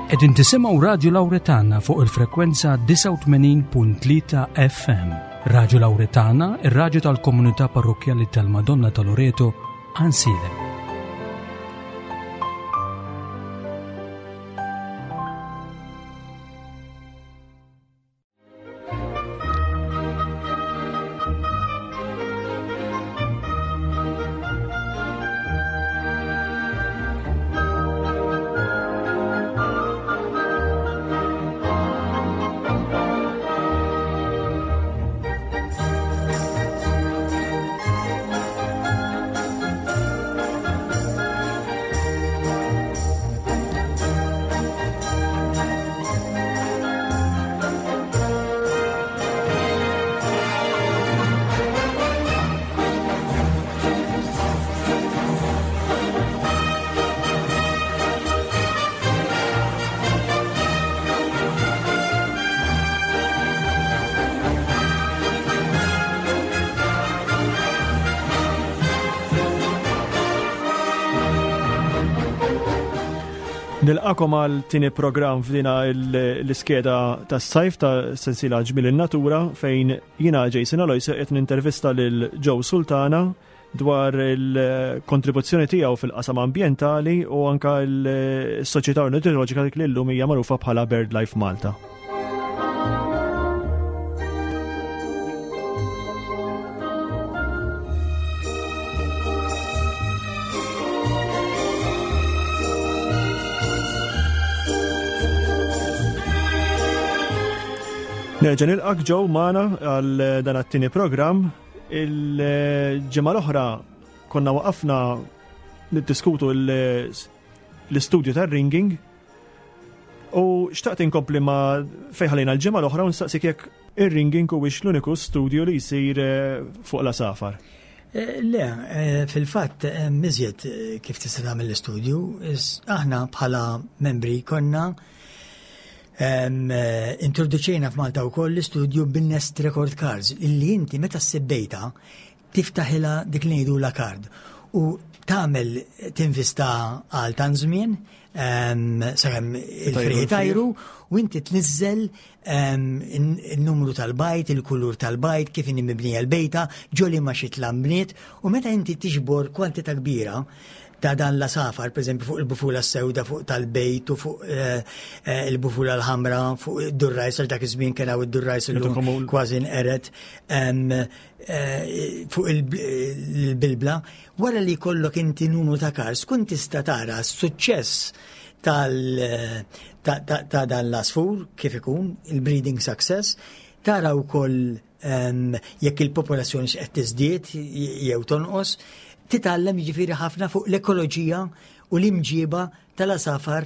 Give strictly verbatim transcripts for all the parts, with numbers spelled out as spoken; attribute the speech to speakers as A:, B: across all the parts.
A: Qegħdin tisimgħu Radio Lauretana fuq il-frekwenza disgħa u tmenin punt tlieta F M. Radio Lauretana, ir-radju tal-Komunità Parrokkjali tal-Madonna ta' Loreto, Għajnsielem.
B: Nilqagħkom għal tieni program f'dina l-iskeda tas sajf ta' sensila Ġmiel in-Natura, fejn jina, Jason Alois, qed nintervista lil Joe Sultana dwar il-kontribuzzjoni tiegħu fil-qasam ambjentali u anka l-Soċjetà Ornitoloġika li llum hija magħrufa bħala BirdLife Malta. Nerġa' nilqak, Joe, magħna għal dan it-tieni program. Il-ġimgħa l-oħra konna waqafna niddiskutu l-istudju tar-ringing u xtaqt inkompli ma' fejn ħallejna l-ġimgħa l-oħra u nistaqsik jekk ir-ringing huwiex l-uniku studju li jsir eh, fuq l-għasafar.
C: Eh, le, eh, fil-fatt miżjed kif tista' tagħmel l-istudju, aħna bħala membri konna Eh, introduċejna f'Malta wkoll l-istudju bin-nest record cards, illi inti meta ssib bejta tiftaħilha dik li ngħidu la card u tagħmel tinvista għal tan żmien sakemm il-frieħ itajru u inti tniżżel il-numru tal-bajt, il-kulur tal-bajt, kif inhi mibnija l-bejta, ġo liema xitla nbniet, u meta inti tiġbor kwantità kbira ta' dan l-għasafar, per eżempju fuq il-bufula sewda, fuq tal-bejt u fuq eh, eh, il-bufula l-ħamra, fuq id-durrajs, għax dak iż-żmien kien hawn id-durrajs illum kważi nqered, eh, fuq il-bilbla, wara li jkollok inti numru ta' cards, kun tista' tara s-suċċess tal ta' dan l-asfur kif ikun, il-breeding success, tara wkoll jekk il-popolazzjoni x'qed tiżdied jew tonqos, titgħallem jiġifieri ħafna fuq l-ekoloġija u l-imġiba tal-għasafar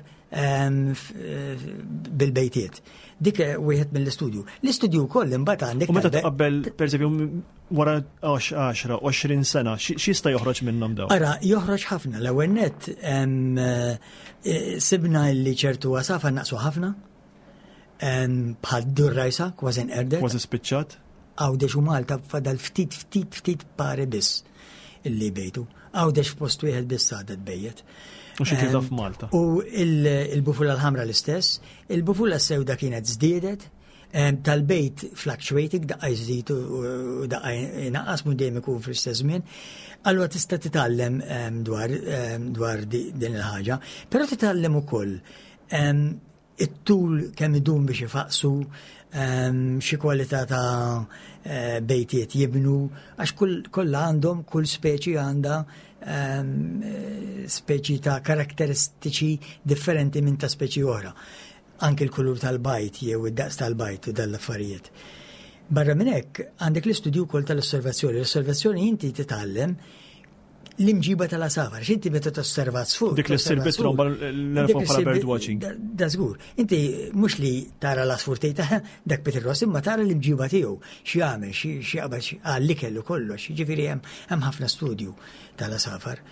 C: bil-bejtiet. Dik wieħed mill-istudju. L-istudju wkoll imbagħad għandek.
B: U meta tqabbel, pereżempju, wara għaxra, għoxrin sena, x'jista' joħroġ minnhom dawn?
C: Ara, joħroġ ħafna. L-ewwel net eh, sibna li ċertu għasafar naqsu ħafna, bħal durrajsa, kważi nqerdet.
B: Kważi spiċċat.
C: Għawdex u Malta fadal ftit ftit ftit pari biss illi bejtu. Għawdex f'post wieħed biss għadha tbejjet.
B: U xi tibda f'Malta.
C: U il-bufula l-ħamra l-istess, il-bufula sewda kienet żdiedet, tal-bejt fluctuating, daqqa jżid u daqqa jnaqqas, mhux dejjem ikun fl-istess żmien. Allura tista' titgħallem dwar dwar din il-ħaġa, però titgħallem ukoll it-tul kemm idum biex ifaqsu, xi kwalità ta' eh, bejtiet jibnu, għax kollha għandhom, kull speċi għandha speċi ta' karakteristiċi differenti minn ta' speċi oħra. Anke l-kulur tal-bajt jew id-daqs tal-bajt u dal-affarijiet. Barra minn hekk għandek l-istudju wkoll tal-osservazzjoni. L-osservazzjoni inti titgħallem l-imġiba tal-għasafar, x'inti meta tosserva għasfur.
B: Dik li ssir bit-tromba l bħala bird watching.
C: Da żgur. Inti mhux li tara l-għasfur tgħid dak Peter Ross, imma tara l-imġiba tiegħu, x'jagħmel, x'jaqbad għall-ikel u kollox. Jiġifieri hemm ħafna studju tal-għasafar.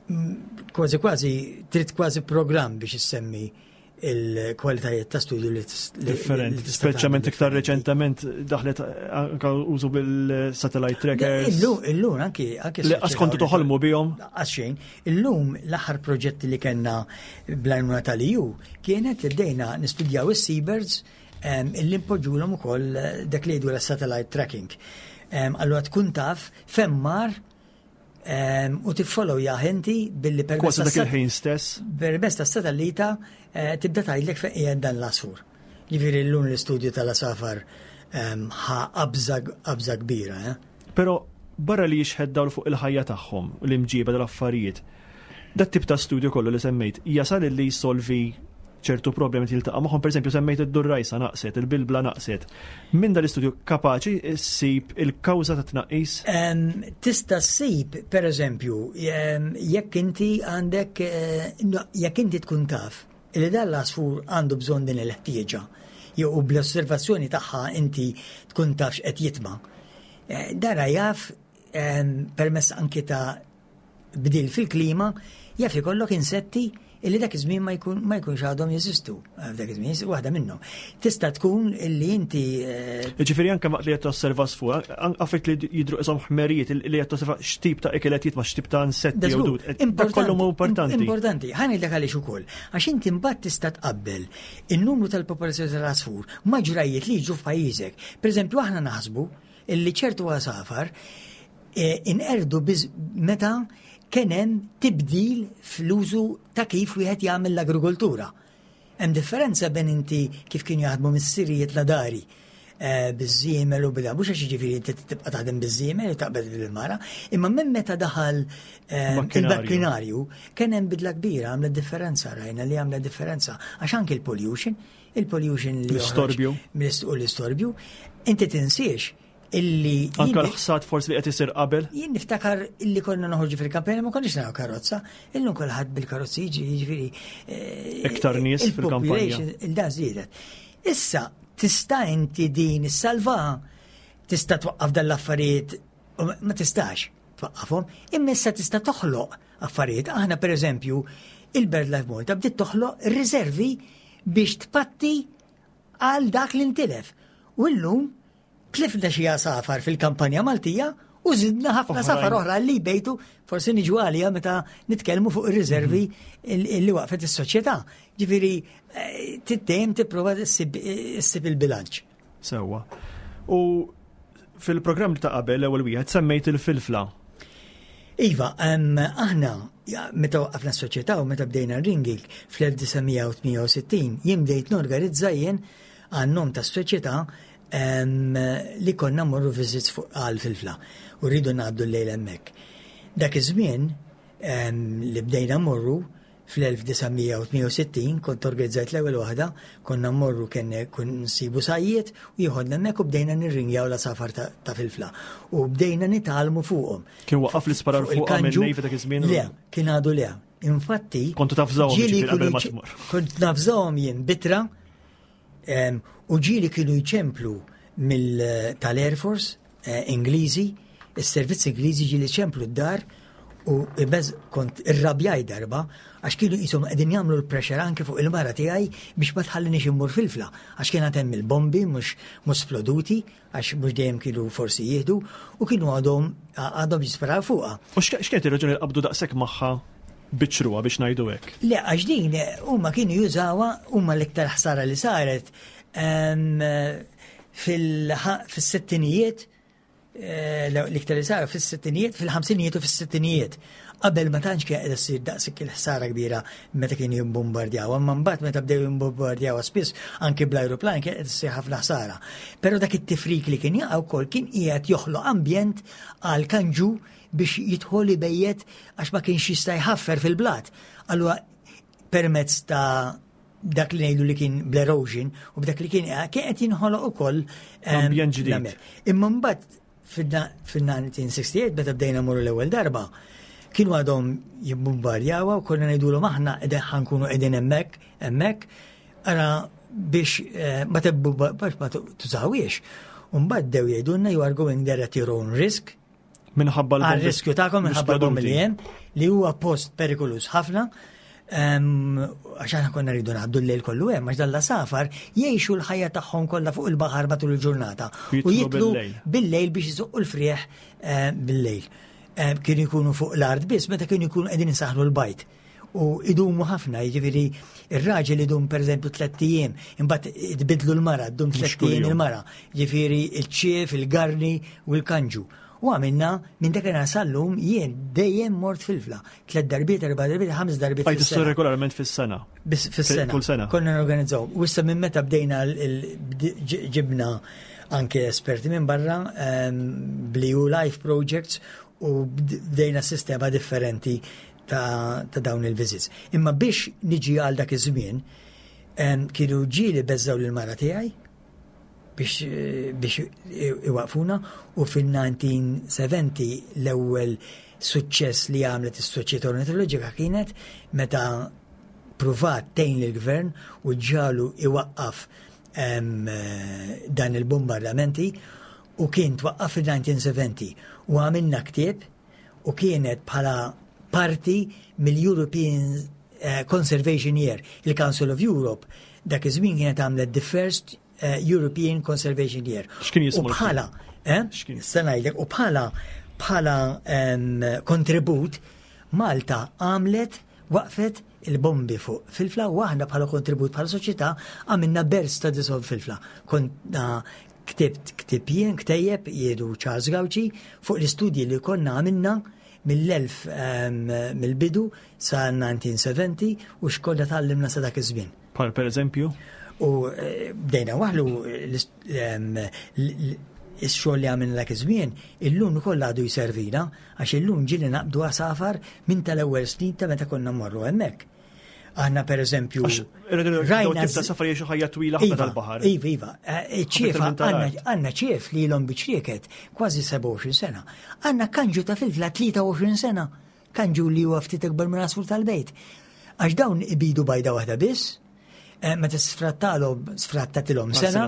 C: Mm, kważi kważi trid kważi programm biex issemmi Il-kwalitajiet ta' studju li
B: Differenti, speċjalment iktar reċentament daħlet anka użu bil-satellite trackers.
C: Illum, illum anki anki
B: Li qas kontu toħolmu bihom.
C: Qas xejn. Illum l-aħħar proġetti li kellna bl-għajnuna tal-E U kienet li bdejna nistudjaw is-seabirds, illi npoġġulhom ukoll dak li jgħidu satellite tracking. Allura tkun taf fejn mar u tiffollow inti billi
B: permezz dak il-ħin stess.
C: Permezz ta' satellita eh, tibda tgħidlek fejn qiegħed dan l-għasfur. Ġifieri llum l-istudju tal-għasafar ħa qabża kbira. Eh?
B: Però barra li jixħet dawl fuq il-ħajja tagħhom, l-imġiba tal-affarijiet, dat tip ta' studju kollu li semmejt, jasal li jsolvi ċertu problemi tiltaqa' magħhom? Pereżempju semmejt id-durrajsa naqset, il-bilbla naqset. Minn dal-istudju kapaċi ssib il-kawża ta' tnaqqis?
C: Tista' ssib, pereżempju, jekk inti għandek, eh, jekk inti tkun taf li dan l-għasfur għandu bżonn din il-ħtieġa, jew bl-osservazzjoni tagħha inti tkun taf x'qed jitma'. Eh, dara jaf permezz anki ta' bdil fil-klima, jaf ikollok insetti illi dak iż-żmien ma jkun ma jkunx għadhom jeżistu. Dak iż-żmien waħda minnhom. Tista' tkun illi inti
B: eh, Ġifieri anke waqt li qed tosserva għasfur, affarijiet li jidru qishom ħmerijiet li qed tosserva x'tip ta' ikel qed jitma', x'tip ta' insetti jew dud. Dak kollu hu importanti.
C: Importanti. Ħa ngħidlek għaliex ukoll. Għax inti mbagħad tista' tqabbel in-numru tal-popolazzjoni tal-għasfur ma' ġrajiet li jiġu f'pajjiżek. Pereżempju, aħna naħsbu illi ċertu għasafar eh, inqerdu meta kien hemm tibdil fl-użu ta' kif wieħed jagħmel l-agrikoltura. Hemm differenza bejn inti kif kienu jaħdmu missirijiet la dari eh, biż-żiemel u bida, mhux għax jiġifieri inti tibqa' taħdem biż-żiemel u taqbel bil-mara, imma minn meta daħal eh, il-makkinarju kien hemm bidla kbira, għamlet differenza, rajna li għamlet differenza, għax anke il-pollution, il-pollution li
B: L-istorbju.
C: U l-istorbju, inti tinsiex illi
B: Anka l-ħsad forsi li qed isir qabel?
C: Jien niftakar illi konna noħorġu fil-kampanja, ma konniex naraw karozza, illum kulħadd bil-karozzi jiġi, jiġifieri
B: eh, Iktar nies fil-kampanja.
C: Il-dan żdiedet. Issa tista' inti din issalva, tista' twaqqaf dan l-affarijiet, ma tistax twaqqafhom, imma issa tista' toħloq affarijiet. Aħna, pereżempju, il-BirdLife Malta bdiet toħloq riservi biex tpatti għal dak li ntilef. U llum tlifna xi għasafar fil-kampanja Maltija u zidna ħafna għasafar oħra li bejtu, forsi niġu għalija meta nitkellmu fuq ir-riservi li waqfet is-soċjetà. Ġifieri eh, tittem tipprova ssib il-bilanċ.
B: Sewwa. U fil-programm ta' qabel, l-ewwel wieħed, semmejt il-filfla.
C: Iva, aħna meta waqfna s-soċjetà u meta bdejna ringing fl-elf disa' mija u tmienja u sittin, jien bdejt norganizza jien għan-nom tas-soċjetà li konna morru visits fuq għal filfla u rridu ngħaddu l-lejl hemmhekk. Dak iż-żmien li bdejna morru fl-elf disa' mija u tmienja u sittin, kont organizzajt l-ewwel waħda, konna mmorru, kien kun nsibu sajjied u jieħodna hemmhekk u bdejna nirringjaw l-għasafar ta' Filfla. U bdejna nitgħallmu fuqhom.
B: Kien waqaf l-isparar fuq minn dak iż-żmien?
C: Le, kien għadu le. Infatti.
B: Kontu tafżawhom qabel ma tmur.
C: Kont nafżawhom jien b'ittra u ġieli kienu jċemplu mill tal-Air Force eh, Ingliżi, is-servizz Ingliżi ġieli ċemplu d-dar u bez kont irrabjaj darba għax kienu jisom qegħdin jagħmlu l-pressure anke fuq il-mara tiegħi biex ma tħallinix immur Filfla, għax kien hemm il-bombi mhux mhux sploduti, għax mhux dejjem kienu forsi jieħdu, u kienu għadhom għadhom jisparaw fuqha.
B: U x'kienet ir-raġuni li qabdu daqshekk magħha biċċruha, biex ngħidu hekk?
C: Le, għax din huma kienu jużawha huma. L-iktar ħsara li saret fil-sittinijiet, eh, l-iktar li saru fis-sittinijiet, fil-ħamsinijiet u fis-sittinijiet. Qabel ma tantx kien qed issir daqshekk il-ħsara kbira meta kienu jimbombardjaw, imma mbagħad meta bdew jimbombardjaw spiss anki bl-ajruplan kien qed issir ħafna ħsara. Però dak it-tifrik li kien jaqa' wkoll kien qiegħed joħloq ambjent għal kanġu biex jidħol ibejjet, għax ma kienx jista' jħaffer fil-blat. Allura permezz ta' dak li ngħidu li kien bl-erosion u b'dak li kien kien qed jinħoloq ukoll
B: ambjent ġdid.
C: Imma mbagħad fil-elf disa' mija u sitta u sittin, meta bdejna morru l-ewwel darba, kienu għadhom jibbombardjawha u konna ngħidulhom aħna qegħdin ħa nkunu qegħdin hemmhekk hemmhekk, ara biex eh, ma biex ma tużawiex. U mbagħad bdew jgħidulna, "You are going there at your own risk."
B: Minħabba
C: l riskju tagħkom, minħabba l li hemm, li huwa post perikolus ħafna. Għax aħna konna rridu ngħaddu l-lejl kollu hemm, għax dal-għasafar jgħixu l-ħajja tagħhom kollha fuq il-baħar matul il-ġurnata. U jitlu bil-lejl biex iżoqqu l-frieħ eh, bil-lejl. Eh, kienu jkunu fuq l-art biss meta kienu jkunu qegħdin isaħħnu l-bajd. U idumu ħafna, jiġifieri ir-raġel idum pereżempju tlett ijiem, imbagħad tbidlu l-mara, ddum tlett ijiem il-mara, jiġifieri il-ċief, il-garni u l-kanġu. U għamilna minn dak sal-lum jien dejjem mort Filfla. Tliet darbiet, erba' darbiet, ħames darbiet.
B: Għajt regolarment fis-sena.
C: Fis-sena. Kull sena. Konna norganizzaw. U issa minn meta bdejna ġibna anke esperti minn barra ehm, bl-E U Life Projects u bdejna sistema differenti ta', ta dawn il-visits. Imma biex niġi għal dak iż-żmien, ehm, kienu ġieli beżżgħu l-mara tiegħi biex, biex iwaqfuna u fil-elf disa' mija u sebgħin l-ewwel suċċess li għamlet is-Soċjetà Ornitoloġika kienet meta pruvat tgħin lill-gvern u ġagħlu iwaqqaf dan il-bombardamenti u kien twaqqaf fil-elf disa' mija u sebgħin u għamilna ktieb u kienet bħala parti mill-European eh, Conservation Year. Il-Council of Europe dak iż-żmien kienet għamlet the first eh, European Conservation Year.
B: X'kien jismu?
C: U bħala, eh? Se ngħidlek, u bħala bħala kontribut Malta għamlet waqfet il-bombi fuq Filfla u aħna bħala kontribut bħala soċjetà għamilna Bird Studies of Filfla. Konna ktibt ktib jien, ktejjeb jiedu Charles Gauci fuq l-istudji li konna għamilna mill-elf mill-bidu sa elf disa' mija u sebgħin u x'konna tgħallimna sa dak iż-żmien.
B: Bħal per eżempju?
C: U eh, bdejna waħlu x-xogħol li għamilna dak iż-żmien, illum ukoll għadu jservina għax illum ġieli naqbdu għasafar minn tal-ewwel snin ta' meta konna mmorru hemmhekk. Aħna per eżempju.
B: Rajna tibda safar jgħixu ħajja twila ħafna
C: Iva,
B: tal-baħar.
C: Iva, iva. Eh, ċiefa, għandna ċief li ilhom biċ-ċrieket kważi sebgħa u għoxrin sena. Għandna kanġu ta' Filfla tlieta u għoxrin sena. Kanġu li huwa ftit ikbar minn għasfur tal-bejt. Għax dawn ibidu bajda waħda biss, eh, meta sfrattalhom sfrattatilhom sena,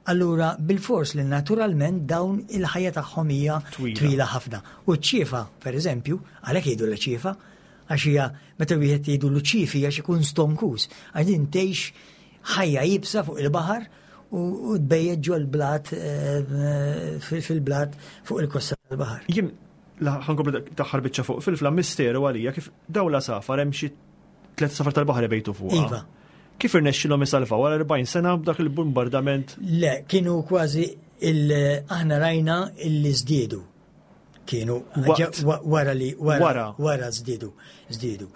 C: allura bil-fors li naturalment dawn il-ħajja tagħhom hija twila ħafna. U ċ-ċiefa, per eżempju, għalhekk jgħidu l-ċiefa, għax hija meta wieħed jgħidu l-ċifi għax ikun stonkus, għax din tgħix ħajja iebsa fuq il-baħar u tbejjet ġol blat eh, fil-blat fuq il-kosta tal-baħar.
B: Jien ħa nkompli l-aħħar biċċa fuq Filfla, misteru għalija kif dawn l-għasafar, hemm xi tliet għasafar tal-baħar ibejtu fuq.
C: Iva.
B: Kif irnexxilhom isalvaw wara erbgħin sena b'dak il-bombardament?
C: Le, kienu kważi aħna rajna illi żdiedu kienu wara li wara wara żdiedu żdiedu.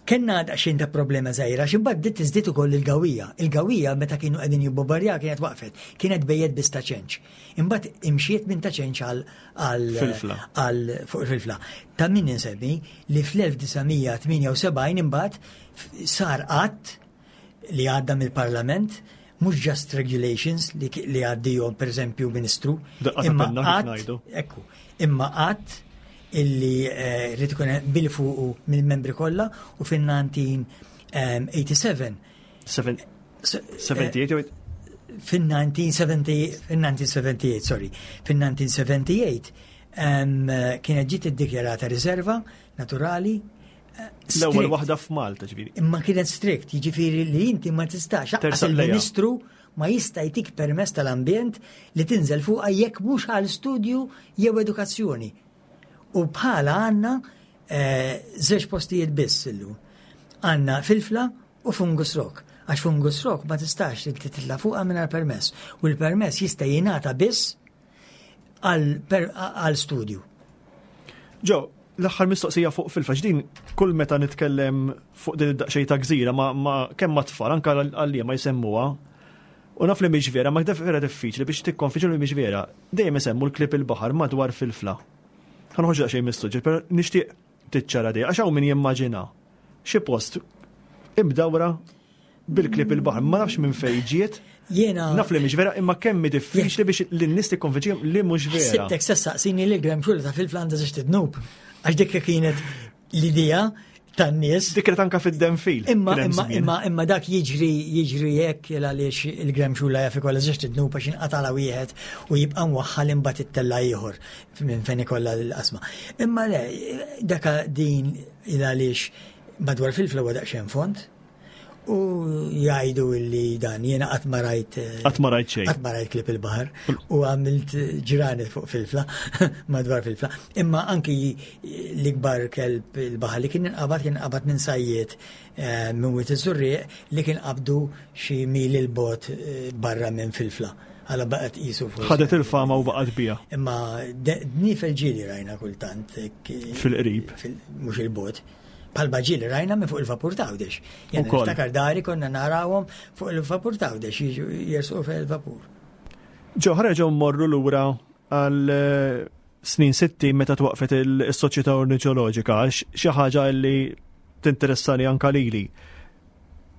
C: Kenna daqsxejn ta' problema żgħira għax imbagħad bdiet tiżdied ukoll il-gawija. Il-gawija meta kienu qegħdin jibbombardjaw kienet waqfet, kienet bejjet biss Ta' Ċenċ. Imbagħad imxiet minn Ta' Ċenċ għal għal fuq il-Filfla. Ta' min insemmi li fl-elf disa' mija u tmienja u sebgħin imbagħad sar att li għadda mill-Parlament, mhux just regulations li, li għaddihom per eżempju ministru,
B: imma
C: att, ekku, imma att illi eh, rrid ikun bil fuqu mill-membri kollha u fin-elf disa' mija u sebgħa u tmenin
B: sebgħa u tmenin?
C: Fin-elf disa' mija u sebgħa u tmenin, fin-elf disa' mija u sebgħa u tmenin, sorry, fin-elf disa' mija u sebgħa u tmenin kienet ġiet iddikjarata riserva naturali.
B: L-ewwel waħda f'Malta, ġifieri.
C: Imma kienet strict, jiġifieri li inti ma tistax, il-ministru ma jista' jtik permess tal-ambjent li tinżel fuqha jekk mhux għal studju jew edukazzjoni. U bħala għandna eh, żewġ postijiet biss illum. Għandna Filfla u Fungus Rock. Għax Fungus Rock ma tistax titla fuqha mingħajr permess. U l-permess jista' jingħata biss għal studju.
B: Ġo, l-aħħar mistoqsija fuq Filfla, din kull meta nitkellem fuq din id-daqxej ta' gżira ma, ma kemm ma tfal anka għalli ma jsemmuha. U naf li mhix vera, ma vera diffiċli biex tikkonvinċi li mhix vera. Dejjem isemmu l-klieb il-baħar madwar Filfla. Ħa noħroġ daqsxejn mis-suġġett, però nixtieq tiċċara di, għax hawn min jimmaġina xi post imdawra bil-klieb il-baħar, ma nafx minn fejn ġiet.
C: Jiena
B: Naf li mhix vera, imma kemm diffiċli biex lin-nies tikkonvinċihom li mhux vera.
C: Sibtek se ssaqsini li l-gremxula ta' Filfla għandha żewġt idnub. Għax dik kienet l-idea tan-nies.
B: Dik kienet anka fid-denfil.
C: Imma imma imma imma dak jiġri jiġri hekk għaliex il-gremxula jaf ikollha żewġt idnub għax inqatala wieħed u jibqa' mwaħħal, imbagħad ittella' ieħor minn fejn ikollha l-qasma. Imma le, daka din il għaliex Madwar Filfla huwa daqsxejn fond u jgħidu li dan jiena qatt ma rajt eh,
B: Qatt ma rajt xejn.
C: Qatt ma rajt klieb il-baħar u għamilt ġranet fuq Filfla, madwar Filfla. Imma anki l-ikbar kelb il-baħar li kien inqabad kien inqabad minn sajjied eh, minn Wied iż-Żurrieq li kien qabdu xi mil 'il bogħod eh, barra minn Filfla. Għala baqgħet qisu forsi.
B: Ħadet il-fama u baqgħet bija.
C: Imma dniefel ġieli rajna kultant. hekk,
B: Fil-qrib.
C: fil- Mhux 'il bogħod. Bħalma ġieli rajna minn fuq il-vapur t'Għawdex. Jena
B: Ukoll.
C: niftakar dari konna narawhom fuq il-vapur t'Għawdex jiġu jersqu fuq il-vapur.
B: Ġo, ħa nerġgħu mmorru lura għal eh, snin sitti meta twaqfet il-Soċjetà Ornitoloġika, għax xi ħaġa li tinteressani anka lili.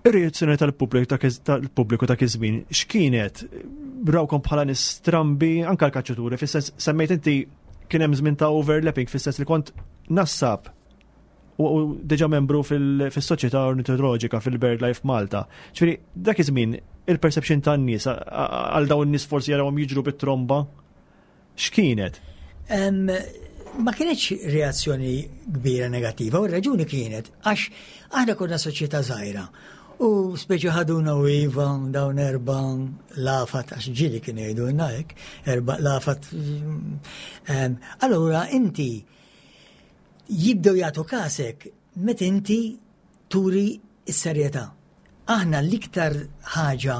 B: Ir-reazzjoni tal-pubbliku ta' tal-pubbliku ta' iż-żmien x'kienet? Rawkom bħala nies strambi anka l-kaċċaturi, fis-sens semmejt inti kien hemm żmien ta' overlapping, fis-sens li kont nassab u u diġà membru fil- fis-Soċjetà Ornitoloġika fil-BirdLife Malta. Ġifieri dak iż-żmien il-perception tan-nies a- a- għal dawn in-nies forsi jarawhom jiġru bit-tromba x'kienet?
C: Em, Ma kienx reazzjoni kbira negattiva, u r-raġuni kienet għax aħna konna soċjetà żgħira. U speċi ħaduna u iva, dawn erba lafat, għax ġieli kienu jgħidulna hekk, erba lafat. Em, Allura inti jibdew jagħtu kasek meta inti turi s-serjetà. Aħna l-iktar ħaġa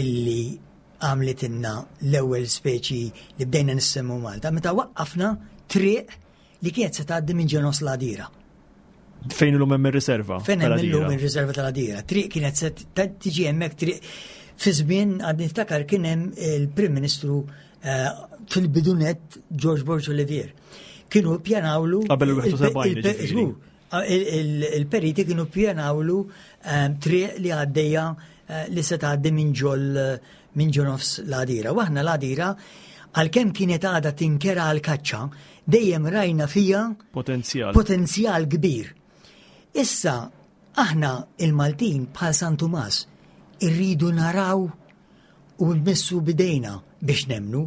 C: illi għamlitilna l-ewwel speċi li bdejna nissemmu Malta, meta waqqafna triq li kienet se tgħaddi minn ġo nofs l-Għadira.
B: Fejn illum hemm ir-riserva?
C: Fejn hemm
B: tal-Għadira?
C: illum ir-riserva tal-Għadira. Triq kienet se t- tiġi hemmhekk triq fi żmien għad niftakar kien hemm il-Prim Ministru eh, fil-bidunet George Borg Olivier. Kienu pjanawlu
B: Qabel il-wieħed u sebgħin,
C: il- il-
B: ġifieri.
C: żgur, il- il- il-periti kienu pjanawlu eh, triq li għaddejja eh, li se tgħaddi minn ġol minn ġo nofs l-Għadira. U aħna l-Għadira għalkemm kienet għadha tinkera għal-kaċċa, dejjem rajna fija
B: Potenzjal.
C: potenzjal kbir. Issa, aħna il-Maltin bħal San Tumas irridu naraw u nmissu bidejna biex nemnu.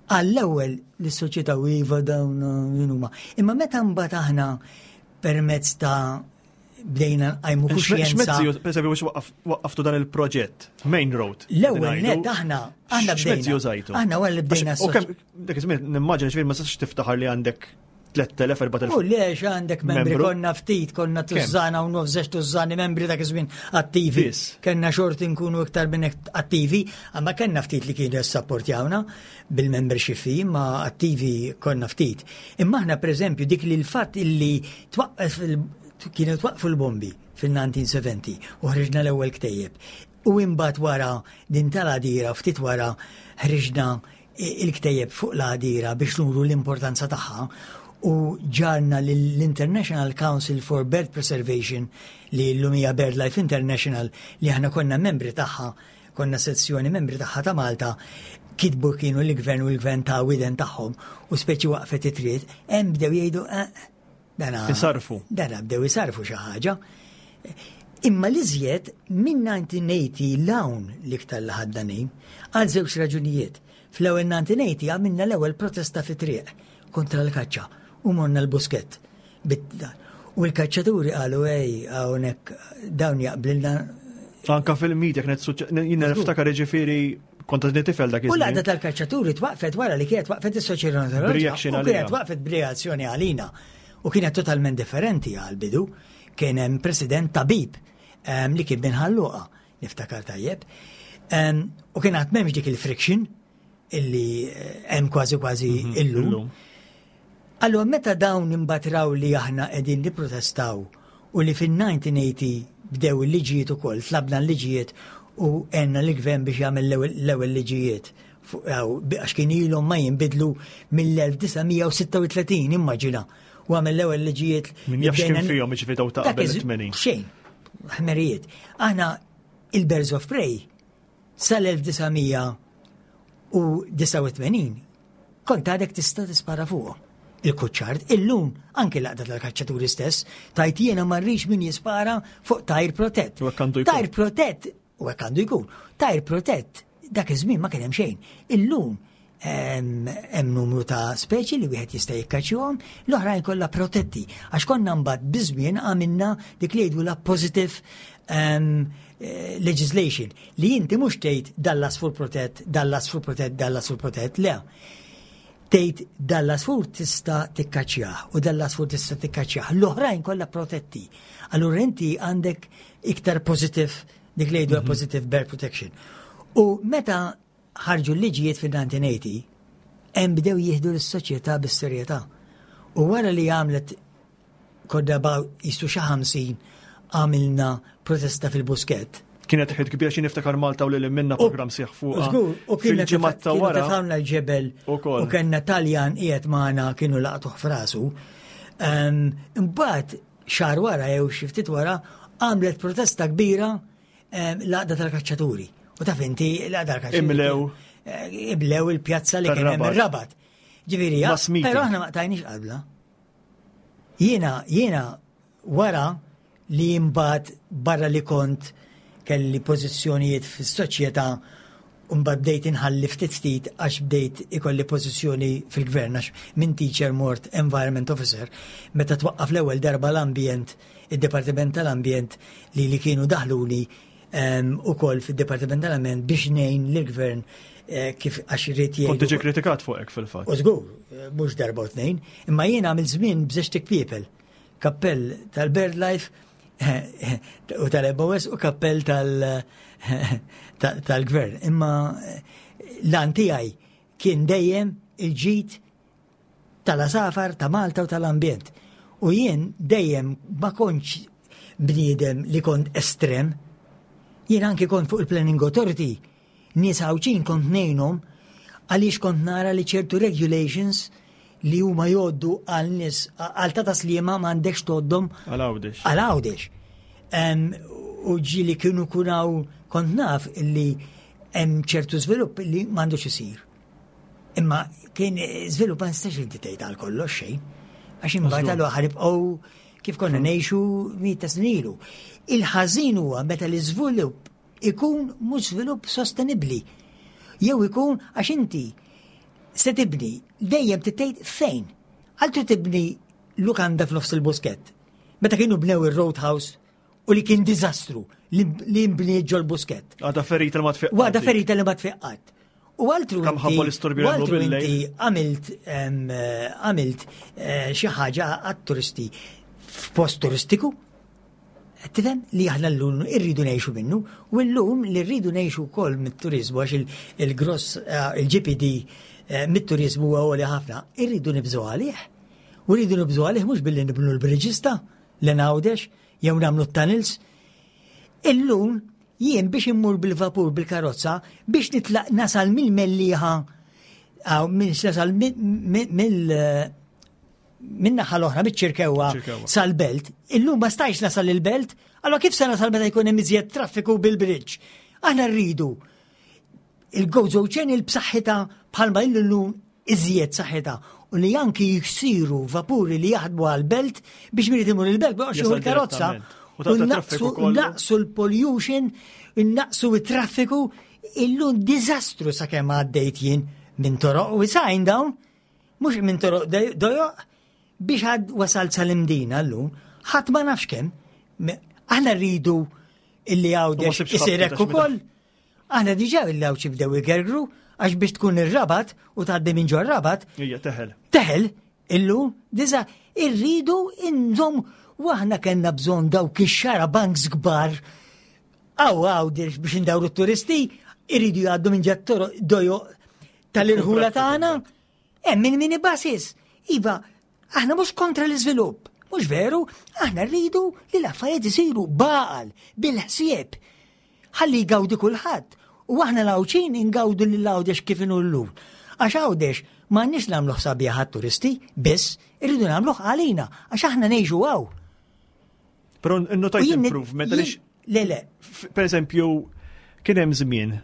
C: Għall-ewwel l-soċjetà u iva dawn min huma. Imma meta mbagħad aħna permezz ta' bdejna nqajmu kuxjenza.
B: X'mezzi, per esempio, biex waqqaf- waqqaftu dan il-proġett, Main Road.
C: L-ewwel
B: qegħdin
C: net
B: ngħidu,
C: aħna aħna
B: X'mezzi
C: bdejna.
B: użajtu?
C: Aħna wara li bdejna
B: Għax- U kemm dak iż-żmien nimmaġina ġifieri ma sax tiftaħar li għandek tlett elef, erbat elef.
C: U lex għandek membri
B: Membru?
C: konna ftit, konna tużżana u nofs żewġ tużżani membri dak iż-żmien attivi.
B: Biss.
C: Kenna xorti nkunu iktar minn hekk attivi, imma kenna ftit li kienu jessapportjawna bil-membership fee, ma attivi konna ftit. Imma aħna per eżempju dik li l-fatt illi twaqqef il- kienu twaqfu l-bombi fil-elf disa' mija u sebgħin u ħriġna l-ewwel ktejjeb. U imbagħad wara din tal-Għadira, ftit wara ħriġna il-ktejjeb fuq l-Għadira biex nuru l-importanza tagħha u ġarna l-International Council for Bird Preservation li llum hija BirdLife International li aħna konna membri tagħha, konna sezzjoni membri tagħha ta' Malta, kitbu kienu l-gvern u l-gvern ta' widen tagħhom u speċi waqfet it-triq, hemm bdew jgħidu eh, dana
B: Isarfu.
C: Dana bdew isarfu xi ħaġa. Imma l-iżjed minn elf disa' mija u tmenin 'l hawn l-iktar li ħaddanin għal żewġ raġunijiet. Fl-ewwel elf disa' mija u tmenin għamilna l-ewwel protesta fi triq kontra l-kaċċa u morna l-Buskett. Bit- U l-kaċċaturi qalu ej hawnhekk dawn jaqblilna.
B: Anka fil-media kienet suċ- jiena niftakar ġifieri kont għadni tifel dak
C: U l-għaqda
B: iż-żmien.
C: tal-kaċċaturi twaqfet wara li kienet waqfet is-soċjetà
B: B'reaction
C: U
B: għalija.
C: kienet waqfet b'reazzjoni għalina. U kienet totalment differenti għal-bidu. Kien hemm president tabib em, li kien minn Ħal Luqa, niftakar tajjeb. Em, U kien għad m'hemmx dik il-friction illi eh, hemm kważi kważi illum.
B: Illum.
C: Allora, meta dawn imbagħad raw li aħna qegħdin nipprotestaw u li fin-elf disa' mija u tmenin bdew il-liġijiet ukoll, tlabna l-liġijiet u għenna l-gvern biex jagħmel l-ewwel l-ewwel liġijiet fuq- għaw, bi- għax kien ilhom ma jinbidlu mill-elf disa' mija u sitta u tletin, immaġina. U għamel l-ewwel liġijiet.
B: Min
C: li
B: jaf x'kien
C: bdejna-
B: fihom, jiġifieri daw ta'
C: Dak
B: qabel
C: iż-
B: it-tmenin.
C: Xejn, ħmerijiet. Aħna il-Birds of Prey sal-elf disa' mija u disgħa u tmenin kont għadek tista' tispara fuqhom. Il-kuċċard, illum anke l-għaqda tal-kaċċaturi stess, tgħid jiena ma rridx min jispara fuq tajr protett.
B: U hekk għandu jkun.
C: Tajr protett, u hekk għandu jkun. Tajr protett, dak iż-żmien ma kien hemm xejn. Illum Hemm numru ta' speċi li wieħed jista' jikkaċċjahom, l-oħrajn kollha protetti. Għax konna mbagħad biż-żmien għamilna dik li jgħidu la positive um, legislation li inti mhux tgħid dal-għasfur protett, dal-għasfur protett, dal-għasfur protett, le. Tgħid dal-għasfur tista' tikkaċċjah u dal-għasfur tista' tikkaċċjah. L-oħrajn kollha protetti. Allura inti għandek iktar positive, dik li jgħidu mm -hmm. positive bird protection. U meta ħarġu l-liġijiet fil-elf disa' mija u tmenin, hemm bdew jieħdu l-soċjetà bis-serjetà. U wara li għamlet kodda baw jisu xi ħamsin għamilna protesta fil-Buskett.
B: Kienet ħid kbir xi niftakar Malta u lil minna program sieħ fuq.
C: U kienet ta' wara. Tefgħulna l-ġebel u kellna Taljan qiegħed magħna, kienu laqtuh f'rasu. Imbagħad xahar wara jew xi ftit wara għamlet protesta kbira l-għaqda tal-kaċċaturi. U taf inti l-għaqda tal-kaċċaturi.
B: Imlew.
C: Eh, imlew il-pjazza li kien hemm ir-Rabat. Ġifieri, però aħna ma qtajniex qabla. Jiena, jiena wara li mbagħad barra li kont kelli pożizzjonijiet fis-soċjetà, mbagħad bdejt inħalli ftit ftit għax bdejt ikolli pożizzjoni fil-gvern, għax minn teacher mort environment officer meta twaqqaf l-ewwel darba l-ambjent, id-Dipartiment tal-Ambjent, li li kienu daħluni ukoll fid-Dipartiment tal-Ambjent biex ngħin lill-gvern eh, kif għax irrid
B: jgħid. Kont tiġi kritikat fuq fil-fatt.
C: U żgur, eh, mhux darba u tnejn, imma jiena għamil żmien b'żewġt ikpiepel. Kappell tal-BirdLife u tal-M O S u kappell tal-gvern. Imma eh, l-għan tiegħi kien dejjem il-ġid tal-għasafar, ta' Malta u tal-ambjent. U jien dejjem ma kontx bniedem li kont estrem. Jien anki kont fuq il-Planning Authority, nies Għawdxin kont ngħinhom għaliex kont nara li ċertu regulations li huma jgħoddu għal nies għal ta' Sliema m'għandekx tgħoddhom
B: għal Għawdex.
C: Għal Għawdex. U ġieli kienu kunaw kont naf li hemm ċertu żvilupp li m'għandux isir. Imma kien żvilupp ma nistax inti tgħid għal kollox xejn. Għax imbagħad għal ħa nibqgħu kif konna ngħixu mijiet ta' snin ilu. Il-ħażin huwa meta l-iżvilupp ikun mhux żvilupp sostenibbli. Jew ikun għax inti se tibni dejjem tgħid fejn. Għaltu tibni lukanda f'nofs il-Buskett. Meta kienu bnew il-Roadhouse u li kien diżastru li li nbniet ġol Buskett.
B: Għada ferita li ma tfiq.
C: Għada ferita li ma tfiqqat. U altru
B: Kam ħabba l-istorbju
C: u
B: jagħmlu
C: altru
B: bil-lejl.
C: inti għamilt em, eh, għamilt eh, xi ħaġa għat-turisti f'post turistiku. Tifhem li aħna llum irridu ngħixu minnu u llum li rridu ngħixu wkoll mit-turizmu għax il- il-gross eh, il-G D P eh, mit-turizmu huwa għoli ħafna, irridu nibżgħu għalih. U rridu nibżgħu għalih mhux billi nibnu l-bridges ta' l-Għawdex jew nagħmlu t-tunnels. Illum jien biex immur bil-vapur bil-karozza biex nitlaq nasal mill-Mellieħa aw minn nasal mill min-naħa l-oħra, miċ-Ċirkewwa
B: Ċirkewwa.
C: sal-Belt, illum ma stajx nasal il-Belt, allora kif se nasal meta jkun hemm iżjed traffiku bil-bridge? Aħna rridu il-Gozo Channel b'saħħitha bħalma illum, iżjed saħħitha, u li anki jsiru vapuri li jaħdmu għal-Belt biex min imur il-Belt biex
B: Jasal
C: il-karozza
B: direttament. U ta'
C: u
B: traffiku
C: naqsu
B: kollu.
C: naqsu l-pollution, naqsu il-traffiku, illum diżastru sakemm għaddejt jien minn toroq u sajn dawn, mhux minn toroq dojoq, biex għad wasalt sal-Imdina llum, ħadd ma nafx kemm. Me- Aħna rridu illi
B: U ma
C: Għawdex
B: sibx
C: isir
B: ħabta
C: hekk ukoll. Aħna diġà il-Għawdxi bdew igergru għax biex tkun ir-Rabat u tgħaddi minn ġor Rabat,
B: Ija, teħel.
C: teħel illum diża irridu inżom u aħna kellna bżonn dawk ix-xarabanks kbar għaw Għawdex biex indawru t-turisti irridu jgħaddu minn ġat dojo tal-irħula tagħna. Hemm min mini buses. Iva, aħna mhux kontra l-iżvilupp. Mhux veru, aħna rridu li l-affarijiet isiru b'għaqal, bil-ħsieb. Ħalli jgawdi kulħadd. U aħna l-Għawdxin ingawdu lil Għawdex kif inhu llum. Għax Għawdex m'għandniex nagħmluh sabiħ għat-turisti, biss irridu nagħmluh għalina, għax aħna ngħixu hawn.
B: Però innotajt
C: U jien-
B: improvement għaliex
C: jien- Le, le,
B: per eżempju, kien hemm żmien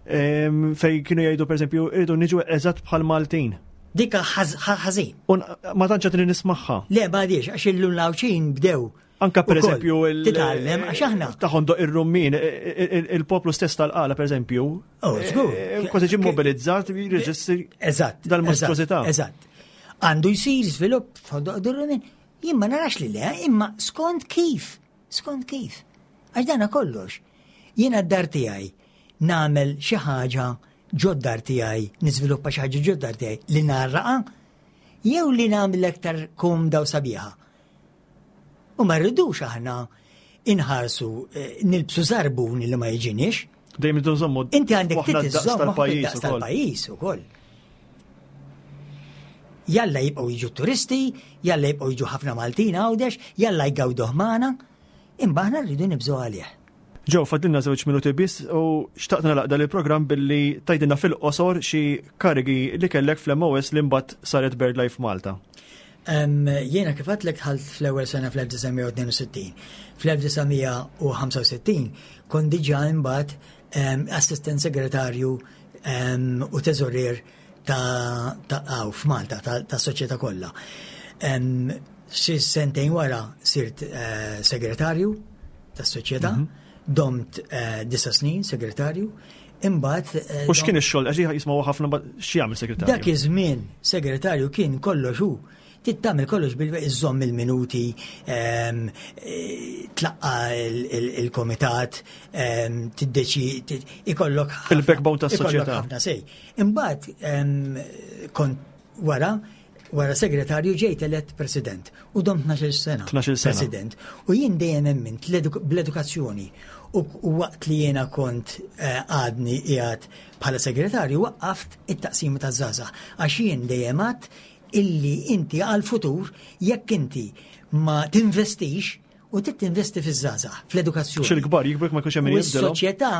B: em, fej kienu jgħidu, per eżempju, irridu niġu eżatt bħal Maltin.
C: Dika ħażin.
B: U ma tantx qed nismagħha.
C: Le, ma għadix, għax illum l-Għawdxin bdew.
B: Anka per eżempju
C: titgħallem għax aħna.
B: Ta' Ħondoq ir-Rummin, il-poplu stess tal-Qala per eżempju.
C: Oh, żgur.
B: Kważi ġie mobilizzat jirreġistri.
C: Eżatt.
B: Dal-mostrużità.
C: Eżatt. Għandu jsir żvilupp f'Ħondoq ir-Rummin. Jien ma narax li le, imma skont kif, skont kif. Għax dana kollox. Jiena d-dar tiegħi nagħmel xi ħaġa ġod-dar tiegħi, niżviluppa xi ħaġa ġod-dar tiegħi li narraqa jew li nagħmel aktar komda u sabiħa. U ma rridux aħna inħarsu nilbsu żarbun li ma jiġiniex.
B: Dejjem irridu nżommu.
C: Inti għandek titiżżomm tal-pajjiż tal-pajjiż ukoll. Jalla jibqgħu jiġu turisti, jalla jibqgħu jiġu ħafna Maltin Għawdex, jalla jgawduh magħna, imma aħna rridu nibżgħu għalih.
B: Ġew, fadilna żewġ minuti biss u xtaqt nagħlaq dan il-programm billi tgħidilna fil-qosor xi karigi li kellek fl-M O S li mbagħad saret BirdLife Malta.
C: Jiena kif għedtlek dħalt fl-ewwel sena fl-elf disa' mija u tnejn u sittin. Fl-elf disa' mija u ħamsa u sittin kont diġà imbagħad assistent segretarju u teżorier ta' ta' f'Malta, ta' soċjetà kollha. Xi sentejn wara sirt segretarju tas-soċjetà, domt disa' snin segretarju, imbagħad.
B: U x'kien ix-xogħol? Għax jismgħu ħafna x'jagħmel segretarju.
C: Dak iż-żmien segretarju kien kollox hu. Tittamel kollox bil-iżżomm il-minuti, tlaqqa il-komitat, tiddeċi, ikollok
B: il-backbone tas-soċjetà.
C: Ħafna sej. Imbagħad kont wara wara segretarju ġejt elett president u domt tnax-il sena.
B: tnax-il sena.
C: President. U jien dejjem emmint bl-edukazzjoni. U waqt li jiena kont għadni qiegħed bħala segretarju waqqaft it-taqsima taż-żgħażagħ għax jien dejjem għadt illi inti għal-futur jekk inti ma tinvestix u trid tinvesti fiż-żgħażagħ, fl-edukazzjoni.
B: Xil-kbar jikbrek ma jkunx hemm min jibdilhom.
C: Is-Soċjetà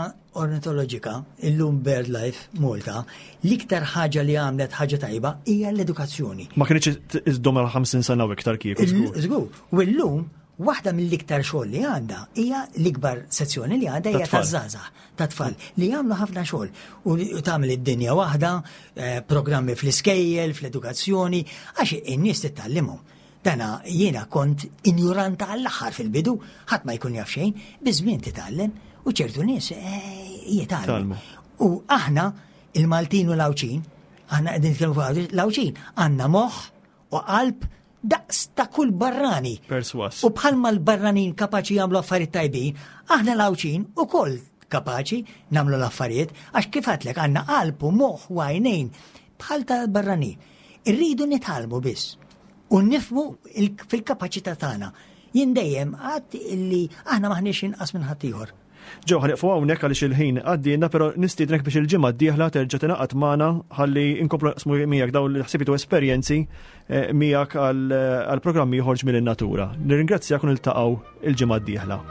C: Ornitoloġika illum BirdLife Malta l-iktar ħaġa li għamlet ħaġa tajba hija l-edukazzjoni.
B: Ma kienx iżdom għal ħamsin sena u iktar kieku żgur.
C: Żgur. U llum waħda mill-iktar xogħol li għandha hija l-ikbar sezzjoni li għandha hija taż-żgħażagħ, ta' tfal li jagħmlu ħafna xogħol u tagħmel id-dinja waħda, programmi fl-iskejjel, fl-edukazzjoni, għax in-nies titgħallimhom. Dana jiena kont injuranta għall-aħħar fil-bidu, ħadd ma jkun jaf xejn, biż-żmien titgħallem u ċertu nies jitgħallmu. U aħna il-Maltin u l-Għawdxin, aħna qegħdin nitkellmu fuq l-Għawdxin, għandna moħħ u qalb daqs ta' kull barrani.
B: Perswas.
C: U bħalma l-barranin kapaċi jagħmlu affarijiet tajbin, aħna l-Għawdxin ukoll kapaċi nagħmlu l-affarijiet, għax kif għedtlek għandna qalb u moħħ u għajnejn bħal tal-barranin. Irridu nitgħallmu biss u nifhmu fil-kapaċità tagħna. Jien dejjem għadt illi aħna maħniex inqas minn ħaddieħor.
B: Ġew, ħaneqfu hawnhekk għaliex il-ħin għaddielna, però nistiednek biex il-ġimgħa d-dieħla terġa' tingħaqad magħna ħalli nkomplu naqsmu miegħek dawn l-ħsibiet u esperjenzi miegħek għal programmi ieħor Ġmiel in-Natura. Nirringrazzjak u niltaqgħu il-ġimgħa d-dieħla.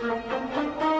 B: Thank you.